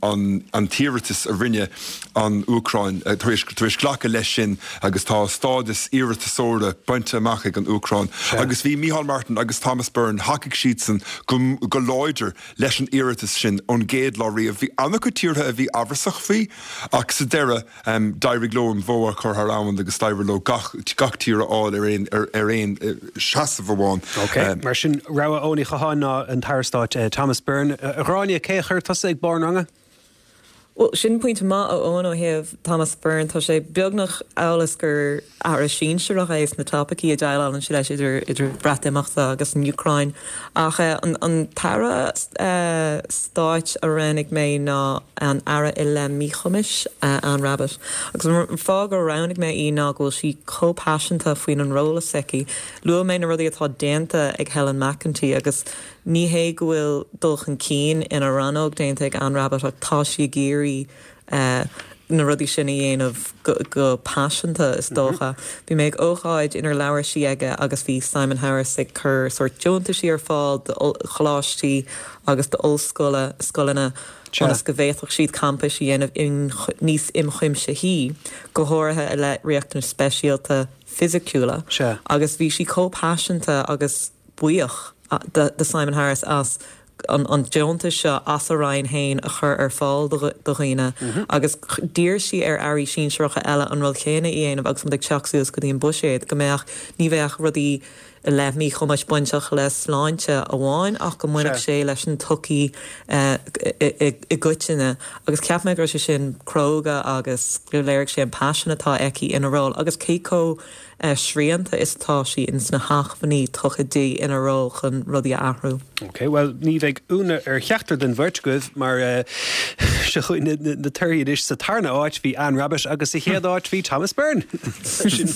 an t-iarratas a rinne an Úcráin, tar éis, tar éis glacadh leis sin agus tá stádas iarratasóra bainte amach ag an Úcráin. Agus bhí Micheál Martin agus Thomas Byrne, thacaigh siadsan go, go láidir leis an iarratas sin ón gcéad lá riamh. Bhí an-chuid tíortha a bhí amhrasach faoi ach sa deireadh d'éirigh leo an bhó a chur thar abhainn agus d'éirigh leo gach gach tír a fháil ar aon ar aon seasamh amháin. Ok, mar sin rogha Eoin Uí Chatháin ná an tAire Stáit Thomas Byrne. A Ghráinne, cé a chuir tusa ag barr an ranga? Bhuel, sin pointe maith a Eoin ó thaobh Thomas Byrne. Tá sé beagnach amhail is gur aire sinsearach é sna topaicí a dhéileálann sé leis idir idir Breatimeachta agus an Úcráin. Ach an an t-aire stáit a roghnaigh mé ná an Aire i leith Míchumais, Anne Rabbitte. Agus an fáth gur roghnaigh mé í ná go bhfuil sí chomh paiseanta faoin an ról s'aici. Luaigh mé na rudaí atá déanta ag Helen McEntee agus Ní hé go bhfuil dul chun cinn ina rannóg déanta ag Anne Rabbitte ach tá sí ag iarraidh na rudaí sin a dhéanamh go paiseanta, is dócha. Bhí mé ag ócáid inar labhair sí aige agus bhí Simon Harris ag cur sórt deontaisí ar fáil do choláistí agus d'ollscoileanna ionas go bhféadfadh siad campais a dhéanamh níos ionchuimsithí, go háirithe i leith riachtanais speisialta fisiciúla. Agus bhí sí chomh paiseanta agus. buíoch de Simon Harris as an deontas seo as a roinn féin a chur ar fáil do dhaoine agus d'iarr sí ar airí sinsearacha eile an rud chéanna a dhéanamh agus muid ag teacht suas go dtí an buiséad, go mbeadh, ní bheadh rudaí i leith míchumais bainteach le sláinte amháin ach go mbainfeadh sé leis an tsochaí i gcoitinne agus cheap mé go raibh sé sin cróga agus gur léirigh sé an paisean atá aici ina ról agus cé chomh srianta is atá sí ins na hacmhainní tugtha di ina ról chun rudaí a athrú. Ok, bhuel ní bheidh ionadh ar cheachtar den bheirt agaibh mar seo chugainn na torthaí anois. Sa tarna áit bhí Anne Rabbitte agus sa chéad áit bhí Thomas Byrne. Sin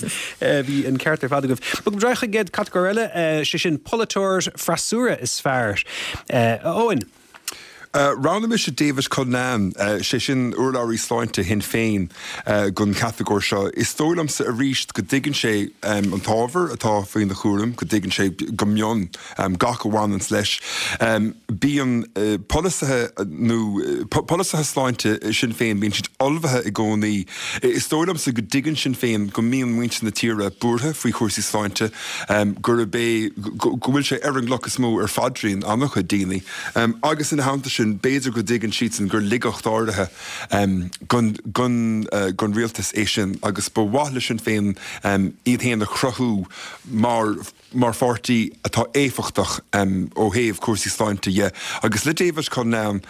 bhí an ceart ar fad agaibh. Bogfaidh muid ar aghaidh chuig an gcéad catagóir eile, sé sin polaiteoir freasúra is fearr. A Eoin. Roghnaigh mise David Cullinane, sé sin urlabhraí sláinte Shinn Féin, don chatagóir seo. Is dóigh liomsa arís go dtuigeann sé an t-ábhar atá faoina chúram, go dtuigeann sé go mion gach a bhaineanns leis. Bíonn polasaithe nó polasaithe sláinte Shinn Féin, bíonn siad ullmhaithe i gcónaí. Is dóigh liomsa go dtuigeann Sinn Féin go mbíonn muintir na tíre buartha faoi chúrsaí sláinte, gurb é, go bhfuil sé ar an gcloch is mó ar phaidrín an-chuid daoine. Agus ina theannta sin, b'fhéidir go dtuigeann siadsan gur laigeacht áirithe don rialtas é sin agus ba mhaith le Sinn Féin iad féin a chruthú mar mar pháirtí atá éifeachtach ó thaobh cúrsaí sláinte dhe. Agus le David Cullinane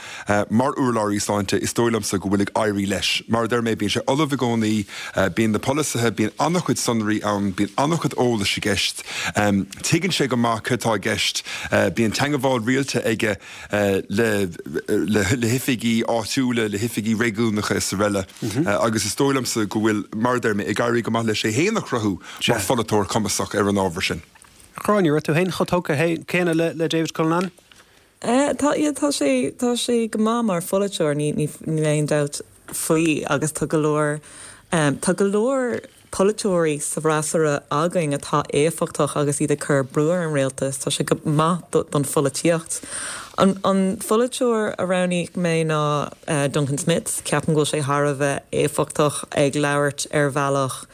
mar urlabhraí sláinte, is dóigh liomsa go bhfuil ag éirí leis. Mar a deir mé, bíonn sé ullamh i gcónaí, bíonn na polasaithe, bíonn an-chuid sonraí ann, bíonn an-chuid eolais i gceist. Tuigeann sé go maith céard atá i gceist. Bíonn teangabháil rialta aige le le hoifigí áitiúla, le hoifigí réigiúnacha is araile agus is dóigh liomsa go bhfuil, mar a deir mé, ag éirí go maith leis é féin a chruthú mar pholaiteoir cumasach ar an ábhar sin. A Ghráinne, raibh tú féin chomh tógtha céanna le David Cullinane? Tá, yeah, tá sé, tá sé go maith mar pholaiteoir, ní, ní, níl aon dabht faoi agus tá go leor, tá go leor polaiteoirí sa bhfreasúra againn atá éifeachtach agus iad ag cur brú ar an rialtas, tá sé go maith don pholaitíocht. An, an pholaiteoir a roghnaigh mé ná Duncan Smith, ceapaim go bhfuil sé thar a bheith éifeachtach ag labhairt ar bhealach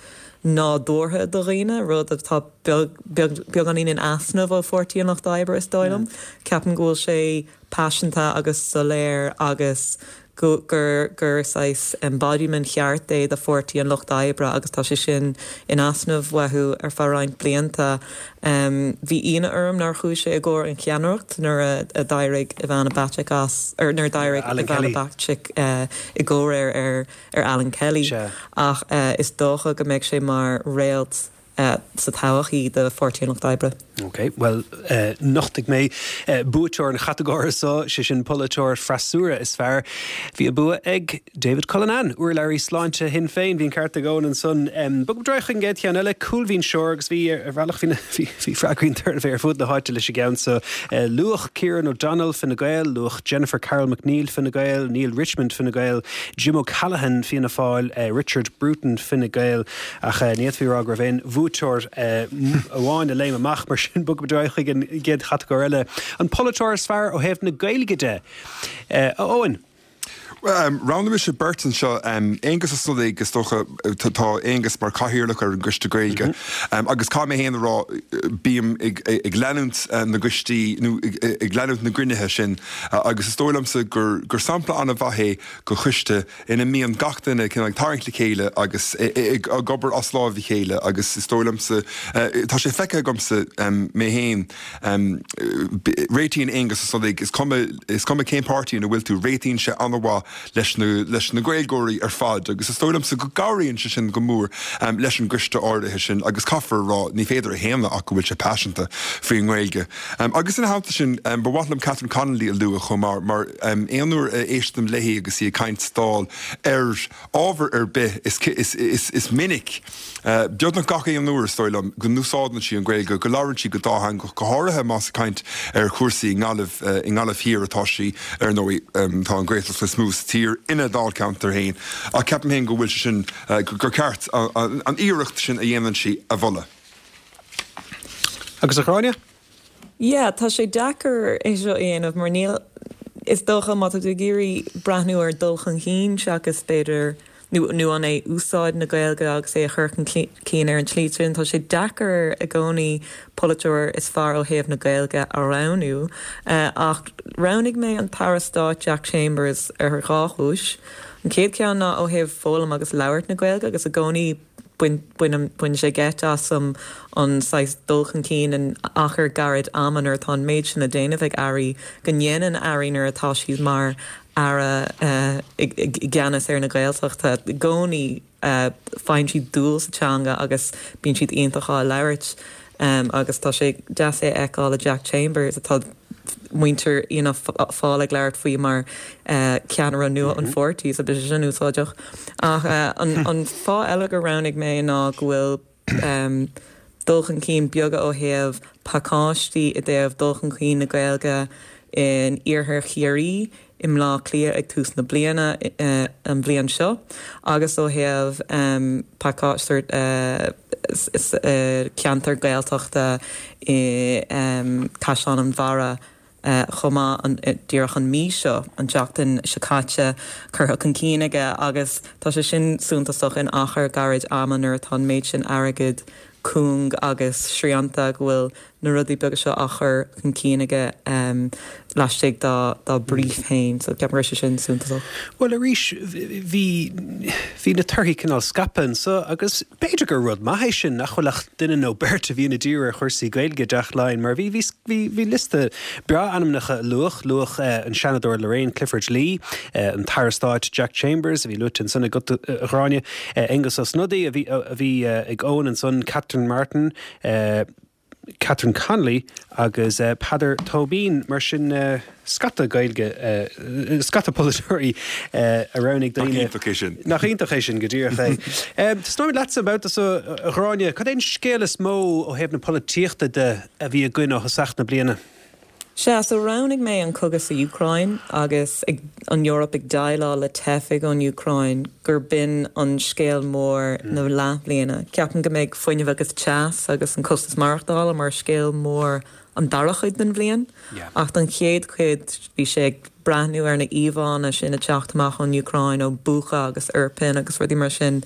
nádúrtha do dhaoine, rud atá beag, beagáinín in easnamh ó Pháirtí an Lucht Oibre, is dóigh liom. Ceapaim go bhfuil sé paiseanta agus soiléir agus go, gur, gur saghas embodiment cheart é do Pháirtí an Lucht Oibre agus tá sé sin in easnamh uathu ar feadh roinnt blianta. Bhí ionadh orm nár chuaigh sé i gcomhair an cheannaireacht nuair a d'éirigh Ivana Bacik as, or nuair a d'éirigh Ivana Bacik i gcomhréir ar ar Alan Kelly ach is dócha go mbeidh sé mar réalt sa todhchaí do Pháirtí an Lucht Oibre. Ok, bhuel nochtfaidh mé buaiteoir an chatagóra seo, sé sin polaiteoir freasúra is fearr. Bhí an bua ag David Cullinane, urlabhraí sláinte Shinn Féin. Bhí an ceart ag Eoin ansan. Bogfaidh muid ar aghaidh chuig an gcéad cheann eile, cúlbhinseoir agus bhí ar bhealach bhí bhí freagraí an tsuirbhé ar fud na háite leis an gceann seo. Luadh Kieran O'Donnell, Fine Gael, luadh Jennifer Carroll MacNeill, Fine Gael, Neale Richmond, Fine Gael, Jim O'Callaghan, Fianna Fáil, Richard Bruton, Fine Gael, ach ní fhéadfaí a rá go raibh aon bhuaiteoir amháin a léim amach, mar sin bogfaidh muid ar aghaidh chuig an gcéad chatagóir eile, an polaiteoir is fearr ó thaobh na Gaeilge de. A Eoin. Roghnaigh mise beirt anseo, Aengus Ó Snodaigh, is dócha, tá Aengus mar chathaoirleach ar an gCoiste Gaeilge agus caithfidh mé féin a rá, bím ag leanúint na gcoistí nó ag leanúint na gcruinnithe sin agus is dóigh liomsa gur sampla an-mhaith é de choiste ina mbíonn gach duine cineál ag tarraingt le chéile agus ag obair as láimh a chéile agus is dóigh liomsa, tá sé feicthe agamsa mé féin, réitíonn Aengus Ó Snodaigh, is cuma, is cuma cén páirtí ina bhfuil tú, réitíonn sé an-mhaith. leis na leis na Gaeilgeoirí ar fad agus is dóigh liomsa go gcabhraíonn sé sin go mór leis an gcoiste áirithe sin agus caithfear a rá ní féidir a shéanadh ach go bhfuil sé paiseanta faoin nGaeilge. Agus ina theannta sin ba mhaith liom Catherine Connolly a lua chomh maith mar aon uair a éistim léi agus í ag caint sa Dáil ar ábhar ar bith is is is minic Beagnach gach aon uair, is dóigh liom, go n-úsáideann sí an Ghaeilge, go labhrann sí go dátheangach, go háirithe más ag caint ar chúrsaí i nGaillimh, i nGaillimh Thiar atá sí, ar ndóigh. Tá an Ghaeltacht is mó sa tír ina dáilcheantar féin, ach ceapaim féin go bhfuil sé sin, gur ceart an iarracht sin a dhéanann sí a mholadh. Agus a Ghráinne? Yeah, tá sé deacair é seo a dhéanamh mar níl, is dócha má tá tú ag iarraidh breathnú ar dul chun cinn seachas b'fhéidir, nó nó an é úsáid na Gaeilge agus é a chur chun cinn ar an tslí sin, tá sé deacair i gcónaí polaiteoir is fearr ó thaobh na Gaeilge a roghnú. Ach roghnaigh mé an tAire Stáit Jack Chambers ar dhá chúis. An chéad cheann ná ó thaobh foghlaim agus labhairt na Gaeilge agus i gcónaí, Baineann sé geit asam an saghas dul chun cinn in achar gairid ama nuair atá an méid sin le déanamh ag airí, go ndéanann airí nuair atá siad mar aire i gceannas ar na Gaeltachta. I gcónaí faigheann siad dúil sa teanga agus bíonn siad iontach á labhairt agus tá sé deas é a fheiceáil le Jack Chambers atá muintir Fhianna Fáil ag labhairt faoi mar cheannaire nua an pháirtí, so beidh sé sin úsáideach. Ach an fáth eile gur roghnaigh mé ná go bhfuil dul chun cinn beaga ó thaobh pacáistí i dtaobh dul chun cinn na Gaeilge in iarthar Chiarraí, i mBleá Cliath ag tús na bliana an bhliain seo agus ó thaobh pacáiste ceantar Gaeltachta i gCaisleán an Bharraigh chomh maith díreach an mhí seo, an tseachtain seo caite, curtha chun cinn aige agus tá sé sin suntasach in achar gairid ama nuair atá an méid sin airgid cúng agus srianta go bhfuil na rudaí beaga seo á chur chun cinn aige laistigh dá dá brief féin. So ceapaim go raibh sé sin suntasach. Bhuel arís bhí bhí na torthaí cineál scaipthe anso agus b'fhéidir gur rud maith é sin nach bhfuil ach duine nó beirt a bhíonn ag díriú ar chúrsaí Gaeilge i dTeach Laighean mar bhí bhí bhí bhí liosta breá ainmneacha a luadh, luadh an Seanadóir Lorraine Clifford-Lee, an tAire Stáit Jack Chambers a bhí luaite ansan agat a Ghráinne, Aengus Ó Snodaigh a bhí a bhí ag Eoin ansan, Catherine Martin, Catherine Connolly agus Peadar Tóibín. Mar sin, scata Gaeilge, scata polaiteoirí a roghnaigh daoine. Nach iontach é sin? Nach iontach é sin, go díreach é. Tosnóimid leatsa an babhta seo, a Ghráinne. Cad é an scéal is mó ó thaobh na polaitíochta de a bhí againn ó thosach na bliana? Sea, so roghnaigh mé an cogadh sa Úcráin agus ag an Eoraip ag déileáil le teifigh ón Úcráin gur b'in an scéal mór na leathbhliana. Ceapaim go mbeidh fuinneamh agus teas agus an costas maireachtála mar scéal mór an dara chuid den bhliain. Ach don chéad chuid bhí sé ag breathnú ar na íomhánna sin ag teacht amach ón Úcráin, ó Bucha agus Irpin agus rudaí mar sin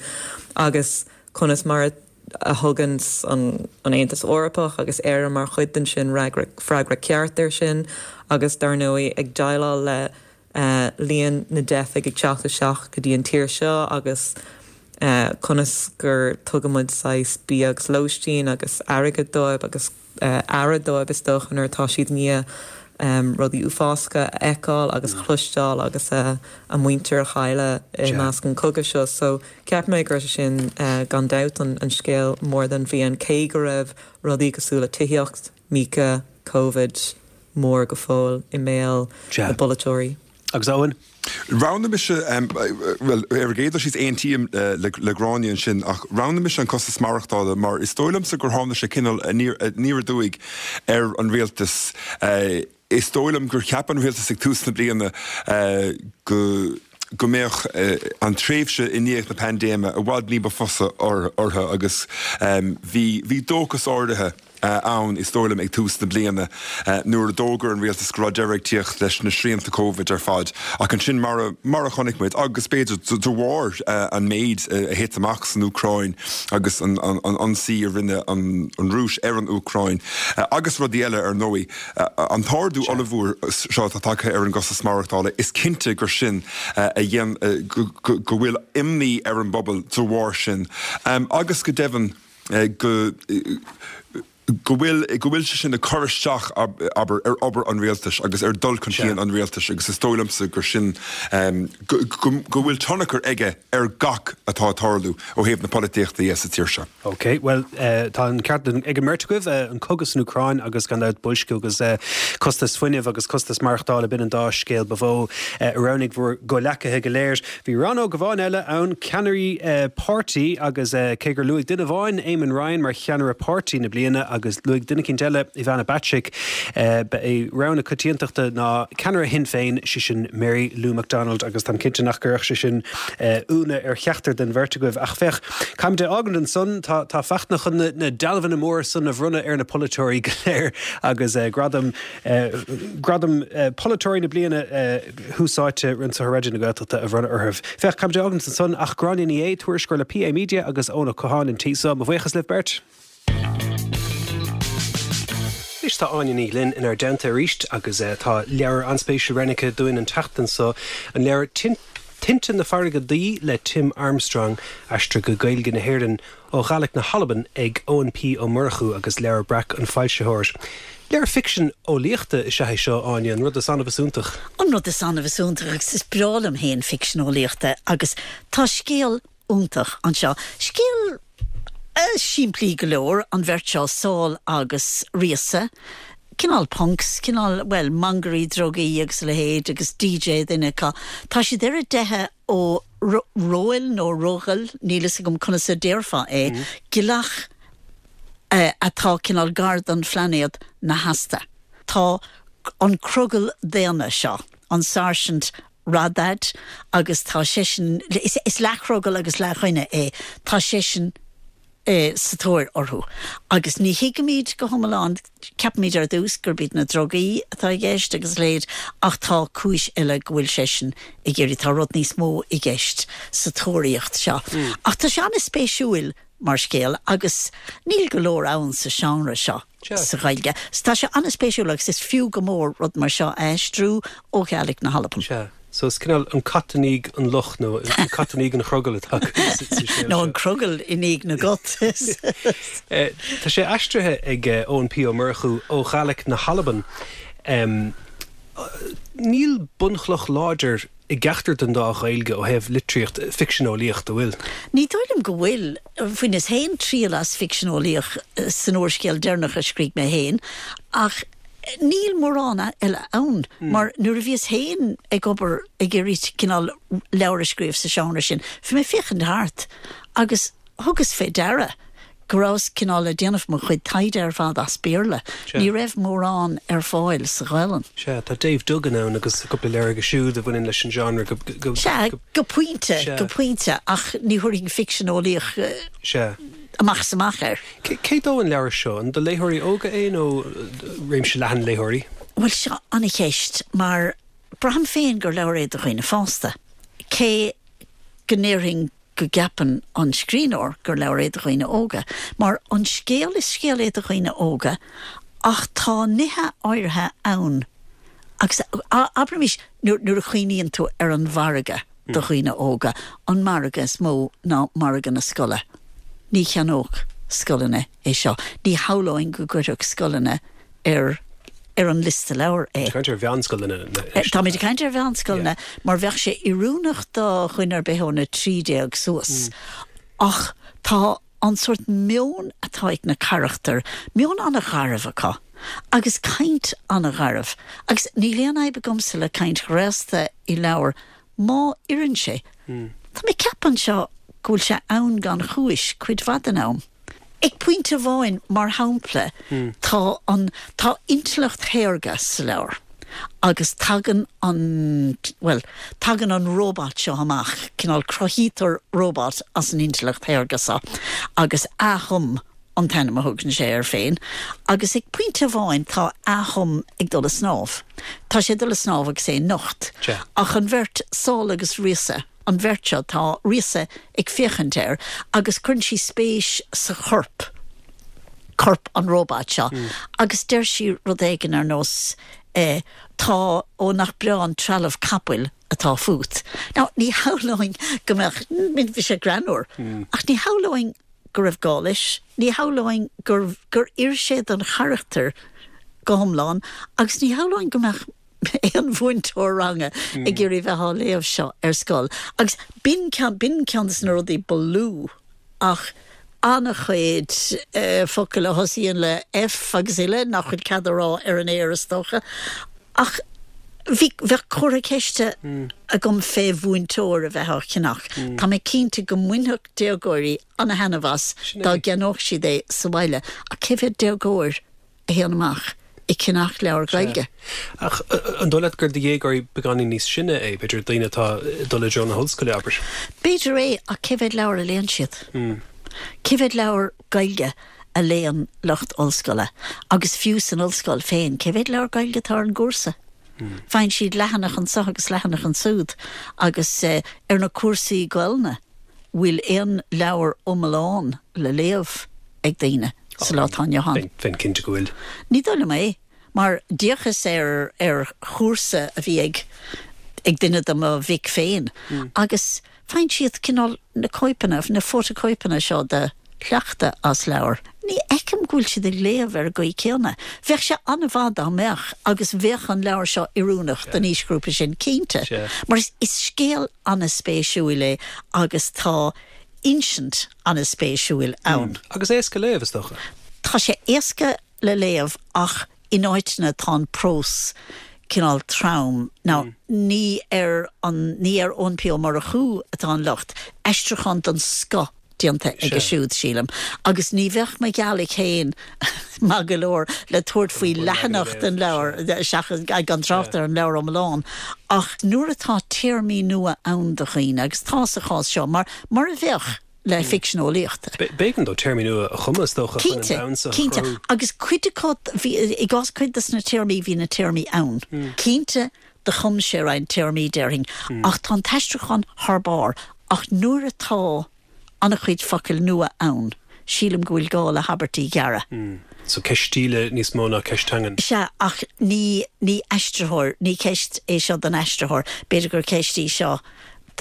agus conas mar a a thugann an Aontas Eorpach agus Éire mar chuid den sin freagra ceart air sin agus dar ndóigh ag déileáil le líon na dteifigh ag teacht isteach go dtí an tír seo agus conas gur tugann muid saghas bia agus lóistín agus airgead dóibh agus aire dóibh is dócha nuair atá siad i ndiaidh rudaí uafásacha a fheiceáil agus a chloisteáil agus a muintir a chailleadh i measc an chogaidh seo. So cheap mé go raibh sé sin gan dabht an scéal mór den bhliain cé go raibh rudaí cosúil le tithíocht, Míoca, Covid mór go fóill i mbéal na bpolaiteoirí. Agus Eoin? Roghnaigh mise, bhuel, ar an gcéad dul síos, aontaím le Gráinne ansin, ach roghnaigh mise an costas maireachtála mar is dóigh liomsa gur tháinig sé cineál aniar aduaidh ar an rialtas. Is dóigh liom gur cheap an rialtas ag tús na bliana go go mbeadh an tréimhse i ndiaidh na paindéime i bhfad ní ba fusa orthu agus bhí bhí dóchas áirithe ann, is dóigh liom, ag tús na bliana nuair a d'fhógair an rialtas go raibh deireadh ag tíocht leis na srianta Covid ar fad. Ach ansin, mar a, mar a chonaic muid, agus b'fhéidir de bharr an méid a thit amach san Úcráin agus an ionsaí a rinne an Rúis ar an Úcráin, agus rudaí eile ar ndóigh, an t-ardú ollmhór seo atá tagtha ar an gcostas maireachtála, is cinnte gur sin a dhein, go bhfuil imní ar an bpobal de bharr sin. Agus go deimhin, go. Go bhfuil, go bhfuil sé sin ag cur isteach, abair, ar obair an rialtais agus ar dhul chun cinn an rialtais agus is dóigh liomsa gur sin, go, go, go bhfuil tionchar aige ar gach atá ag tarlú ó thaobh na polaitíochta dhe sa tír seo. Ok, bhuel, tá an ceart ag an mbeirt agaibh, an cogadh san Úcráin agus gan dabht boilsciú agus costas fuinnimh agus costas maireachtála, b'in an dá scéal ba mhó a roghnaigh bhur gcomhleacaithe go léir. Bhí rannóg amháin eile ann, ceannairí páirtí, agus cé gur luaigh duine amháin Eamon Ryan mar cheannaire páirtí na bliana agus luaigh duine eicínt eile Ivana Bacik, ba é rogha na coitiantachta ná ceannaire Shinn Féin, sé sin Mary Lou McDonald, agus táim cinnte nach gcuirfeadh sé sin ionadh ar cheachtar den bheirt agaibh. Ach féach, caithfimid é fhágaint ansan, tá tá Fachtna chun na dealbhanna móra san a bhronnadh ar na polaiteoirí go léir agus gradam gradam polaiteoirí na bliana, Tús Áite anseo ar Raidió na Gaeltachta a bhronnadh orthu. Féach, caithfimid é fhágaint ansan ach Gráinne Ní Aodha, tuairisceoir le PA Media agus Eoin Ó Catháin an tí so. Mo bhuíochas libh beirt. Anois tá Áine Ní Ghlinn inár dteannta arís agus tá leabhar an-spéisiúil roghnaithe dúinn an tseachtain so, an leabhar Tinte na Farraige Duí le Tim Armstrong, aistrithe go Gaeilge na hÉireann. Ó Ghàidhlig na hAlban ag Eoin P. Ó Murchú agus Leabhar Breac an foilsitheoir. Leabhar ficsean eolaíochta is ea é seo, Áine, an rud is annamh is iontach. An rud is annamh is iontach agus is breá liom féin ficsean eolaíochta agus tá scéal iontach anseo. Scéal simplí go leor, an bheirt seo, Sál agus Ríosa, cineál punks, cineál, bhuel, mangairí drugaí agus a leithéid agus DJ duine acu. Tá siad ar a dteitheadh ó Róil nó Roghail, níl fhios agam conas a déarfá é, gealach atá cineál gar don phlainéad Nahasta. Tá an crogall daonna seo, an Sáirsint Radad, agus tá seisean, is leathchrogall agus leathdhuine é, tá seisean sa tóir orthu. Agus ní thuigimid go hiomlán, ceapaimid ar dtús gurb iad na drugaí atá i gceist agus a leithéid, ach tá cúis eile go bhfuil seisean ag iarraidh, tá rud níos mó i gceist sa tóraíocht seo. Ach tá sé an-spéisiúil mar scéal agus níl go leor ann sa seánra seo. sa Ghaeilge. So tá sé an-spéisiúil agus is fiú go mór rud mar seo a aistriú ó Ghàidhlig na hAlban. Sea. So is cineál an cat i ndiaidh an luch nó an cat i ndiaidh an chrogaill atá againn sa scéal seo. Nó an crogall i ndiaidh na gcat. Tá sé aistrithe ag Eoin P. Ó Murchú ó Ghàidhlig na hAlban. Níl bunchloch láidir i gceachtar den dá Ghaeilge ó thaobh litríocht ficsean eolaíoch, an bhfuil? Ní dóigh liom go bhfuil. Bhaineas féin triail as ficsean eolaíoch san úrscéal deireanach a scrígh mé féin, ach níl mórán eile ann, mar nuair a bhíos féin ag obair ag iarraidh cineál leabhar a scríobh sa seánra sin, bhí mé ag féachaint thart agus thugas fé deara go rabhas cineál ag déanamh mo chuid taighde ar fad as Béarla. Ní raibh mórán ar fáil sa Ghaelainn. Sea, tá Dave Duggan ann agus cúpla leabhar aige siúd a bhaineann leis an genre go, go, Sea, go pointe, go pointe, ach ní thabharfainn ficsean eolaíoch amach is amach air. Cé dó an leabhar seo? An do léitheoirí óga é nó réimse leathan léitheoirí? Bhuel, seo an-cheist, mar braithim féin gur leabhar é do dhaoine fásta, cé go ndéarfainn go gceapann an scríbhneoir gur leabhar é do dhaoine óga, mar an scéal, is scéal é do dhaoine óga ach tá nithe áirithe ann agus, abraimis, nuair a chuimhníonn tú ar an mhargadh do dhaoine óga, an margadh is mó ná margadh na scoile. Ní cheannódh scoileanna é seo. Ní shamhlóinn go gcuirfeadh scoileanna ar ar an liosta leabhar é. Táimid ag caint ar mheánscoileanna anois. Táimid ag caint ar mheánscoileanna mar bheadh sé oiriúnach do dhuine ar bith óna 13 suas. Ach tá an sórt meon atá ag na carachtair, meon an-gharbh acu agus caint an-gharbh. Agus níl aon fhadhb agamsa le caint ghraosta i leabhar má oireann sé. Tá mé ag ceapadh anseo go bhfuil sé ann gan chúis cuid mhaith den am. Ag pointe amháin, mar shampla, tá an, tá intleacht shaorga sa leabhar agus tagann an, bhuel, tagann an róbat seo amach, cineál cruthaítear róbat as an intleacht shaorga seo agus Athum an t-ainm a thugann sé air féin agus ag pointe amháin tá Athum ag dul a snámh. Tá sé ag dul a snámh agus é nocht. Ach an bheirt, Sál agus Ríosa, an bheirt seo, tá Ríosa ag féachaint air agus cuireann sí spéis sa chorp, corp an róbait seo, agus deir sí rud éigin ar nós eh, tá, ó nach breá an trealamh capaill atá fút. Now, ní shamhlóinn go mbeadh, bhí sé greannmhar, ach ní shamhlóinn. go raibh gá leis, ní shamhlóinn gur gur oir sé don charachtar go hiomlán agus ní shamhlóinn go mbeadh aon mhúinteoir ranga ag iarraidh bheith á léamh seo ar scoil. Agus b'in ceann, b'in ceann de na rudaí ba lú ach an-chuid focail a thosaíonn le F agus uile nach bhfuil cead a rá ar an aer is dócha. Ach bhí, bheadh comhartha ceiste agam fé mhúinteoir a bheith á cheannach. Tá mé cinnte go mbainfeadh déagóirí ana-thaitneamh as dá gceannódh siad é sa bhaile. Ach cé mhéad déagóir a théann amach ag ceannach leabhar Gaeilge? Ach an dóigh leat gur do dhéagóirí beagáinín níos sine é, b'fhéidir daoine atá ag dul i dtreo na hollscoile, abair? B'fhéidir é, ach cé mhéad leabhar a léann siad? Cé mhéad leabhar Gaeilge a léann lucht ollscoile? Agus fiú san ollscoil féin, cé mhéad leabhar Gaeilge atá ar an gcúrsa? Faigheann siad leathanach anso agus leathanach ansúd agus ar na cúrsaí Gaelainne, bhfuil aon leabhar iomlán le léamh ag daoine sa lá atá inniu ann? Bheinn cinnte go bhfuil. Ní dóigh liom é, mar d'fhéachas ar ar chúrsa a bhí ag ag duine de mo mhic féin agus faigheann siad cineál na cóipeanna, na fótachóipeanna seo de shleachta as leabhar. Ní fheicim go bhfuil siad ag léamh ar an gcaoi céanna. Bheadh sé an-mhaith dá mbeadh agus bheadh an leabhar seo oiriúnach don aoisghrúpa sin, cinnte. Mar is scéal an-spéisiúil é agus tá insint an-spéisiúil ann. Agus éasca léamh, is dócha. Tá sé éasca le léamh ach in áiteanna tá an prós cineál trom. Now, ní ar an, ní ar Eoin P. Ó Murchú atá an locht, aistriúchán den scoth déanta aige siúd, sílim, agus ní bheadh mo ghealaigh féin maith go leor le tabhairt faoi leathanach den leabhar, seachas, gan trácht ar an leabhar iomlán. Ach nuair atá téarmaí nua ann do dhaoine, agus tá sa chás seo, mar, mar a bheadh le ficsean eolaíochta. B'éigean dó téarmaí nua a chumadh, is dócha, chun an domhan seo a chruthú. Cinnte, agus cuid acu, bhí, i gcás cuid de na téarmaí, bhí na téarmaí ann. Cinnte, do chum sé roinnt téarmaí, déarfainn, ach tá an t-aistriúchán thar barr. Ach nuair atá an-chuid focail nua ann, sílim go bhfuil gá le habairtí gearra. So ceist stíle níos mó ná ceist teangan. Sea, ach ní, ní aistritheoir, ní ceist é seo don aistritheoir. B'fhéidir gur ceist í seo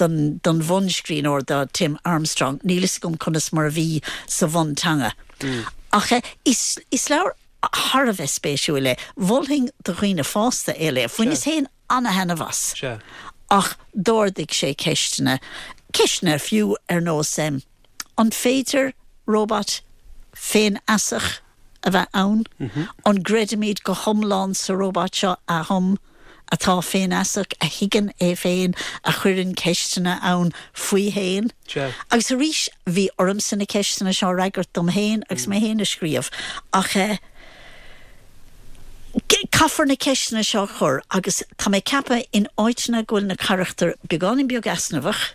don, don bhunscríbhneoir, do Tim Armstrong. Níl fhios agam conas mar a bhí sa bhunteanga. Ach is, is leabhar thar a bheith spéisiúil é. Mholfainn do dhaoine fásta é a léamh. Bhaineas féin ana-thaitneamh as. Ach d'ardaigh sé ceisteanna, ceisteanna fiú ar nós an féidir róbat féinfheasach a bheith ann? An gcreidimid go hiomlán sa róbat seo a chum, atá féinfheasach, a thuigeann é féin, a chuireann ceisteanna ann faoi fhéin? Agus arís, bhí ormsa na ceisteanna seo a fhreagairt dom féin agus mé féin ag scríobh. Ach eh. Caithfear na ceisteanna seo a chur agus tá mé ag ceapadh in áiteanna go bhfuil na carachtair beagáinín beag easnamhach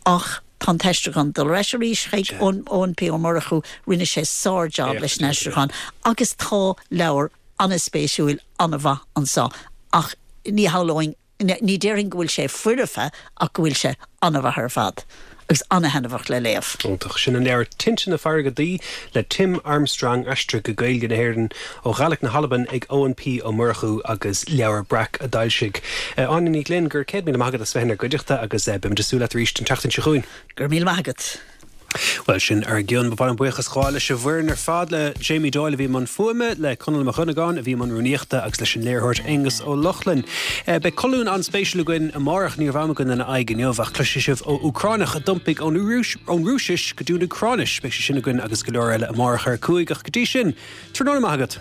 ach tá an t-aistriúchán, dul ar ais arís chuig Eoin P. Ó Murchú, rinne sé sár-jab leis an aistriúchán agus tá leabhar an-spéisiúil, an-mhaith anseo ach ní shamhlóinn Ní déarfainn go bhfuil sé foirfe ach go bhfuil sé an-mhaith ar fad agus an-thaitneamhach le léamh. Iontach. Sin an leabhar Tinte na Farraige Duí le Tim Armstrong, aistrithe go Gaeilge na hÉireann ó Ghàidhlig na hAlban ag Eoin P. Ó Murchú agus Leabhar Breac a d'fhoilsigh. Áine Ní Ghlinn, go raibh 100,000 maith agat as bheith inár gcuideachta agus beimid ag súil leat arís an tseachtain seo chugainn. Go raibh míle maith agat. Bhuel, sin ár gcionn. Ba mhaith liom buíochas a ghabháil leis an bhfoireann ar fad, le Jamie Doyle a bhí i mbun fuaime, le Conall Mac Dhonnagáin a bhí i mbun rúnaíochta agus leis an léiritheoir Aonghus Ó Lochlainn. Beidh colún an-spéisiúil againn amárach, ní raibh am againn lena aghaidh inniu ach cloisfidh sibh ó Úcránach a d'iompaigh ón Rúisis go dtí an Úcráinis. Beidh sé sin againn agus go leor eile amárach ar 5 ach go dtí sin, tráthnóna maith agat.